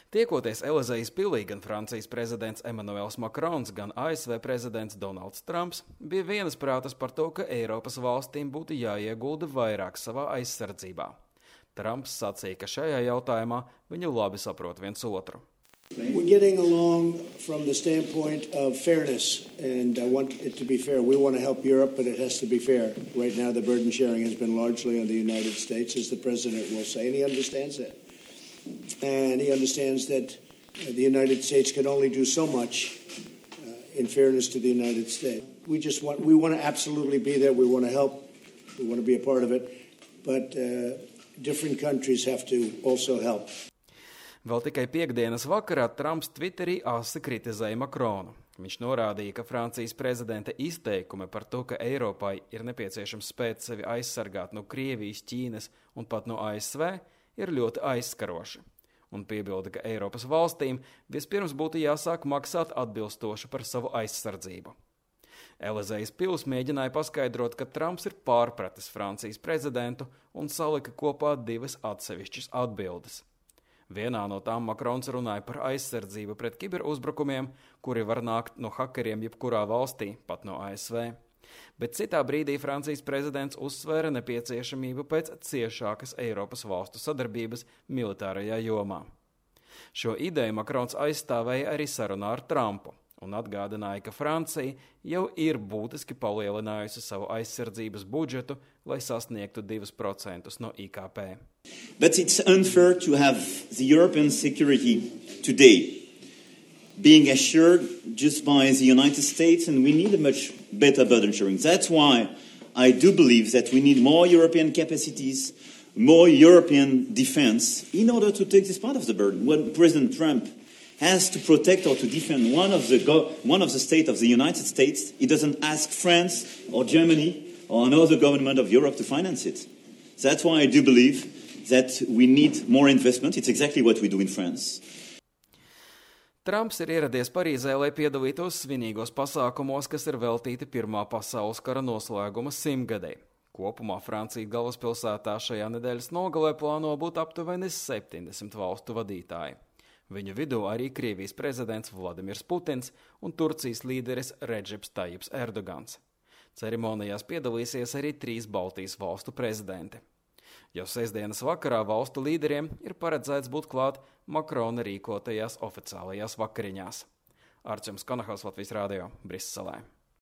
Tiekoties Elizejas pilī, gan Francijas prezidents Emmanuels Macrons, gan ASV prezidents Donalds Trumps bija vienasprātas par to, ka Eiropas valstīm būtu jāiegulda vairāk savā aizsardzībā. Trumps sacīja, ka šajā jautājumā viņi labi saprot viens otru. We're getting along from the standpoint of fairness, and I want it to be fair. We want to help Europe, but it has to be fair. Right now, the burden sharing has been largely on the United States, as the president will say, and he understands that. And he understands that the United States can only do so much in fairness to the United States. We want to absolutely be there. We want to help. We want to be a part of it, but different countries have to also help. Vēl tikai piektdienas vakarā Trumps Twitterī asi kritizēja Macronu. Viņš norādīja, ka Francijas prezidenta izteikumi par to, ka Eiropai ir nepieciešams spēt sevi aizsargāt no Krievijas, Ķīnas un pat no ASV, ir ļoti aizskaroši. Un piebilda, ka Eiropas valstīm vispirms būtu jāsāk maksāt atbilstoši par savu aizsardzību. Elizejas pils mēģināja paskaidrot, ka Trumps ir pārpratis Francijas prezidentu un salika kopā divas atsevišķas atbildes. Vienā no tām Macrons runāja par aizsardzību pret kiberuzbrukumiem, kuri var nākt no hakeriem jebkurā valstī, pat no ASV. Bet citā brīdī Francijas prezidents uzsvēra nepieciešamību pēc ciešākas Eiropas valstu sadarbības militārajā jomā. Šo ideju Macrons aizstāvēja arī sarunā ar Trumpu un atgādināja, ka Francija jau ir būtiski palielinājusi savu aizsardzības budžetu, lai sasniegtu 2% no IKP. But it's unfair to have the European security today being assured just by the United States, and we need a much better burden sharing. That's why I do believe that we need more European capacities, more European defense in order to take this part of the burden. When President Trump has to protect or to defend one of the states of the United States, he doesn't ask France or Germany or another government of Europe to finance it. That's why I do believe that we need more investment. It's exactly what we do in France. Trumps ir ieradies Parīzē, lai piedalītos svinīgos pasākumos, kas ir veltīti Pirmā pasaules kara noslēguma 100-gadei. Kopumā Francijas galvaspilsētā šajā nedēļas nogalē plāno būt aptuveni 70 valstu vadītāji. Viņu vidū arī Krievijas prezidents Vladimirs Putins un Turcijas līderis Redžeps Tajips Erdogans. Ceremonijās piedalīsies arī 3 Baltijas valstu prezidenti. Jau sestdienas vakarā valstu līderiem ir paredzēts būt klāt Macrona rīkotajās oficiālajās vakariņās. Arčuns Konahos, Latvijas Rādio, Briselē.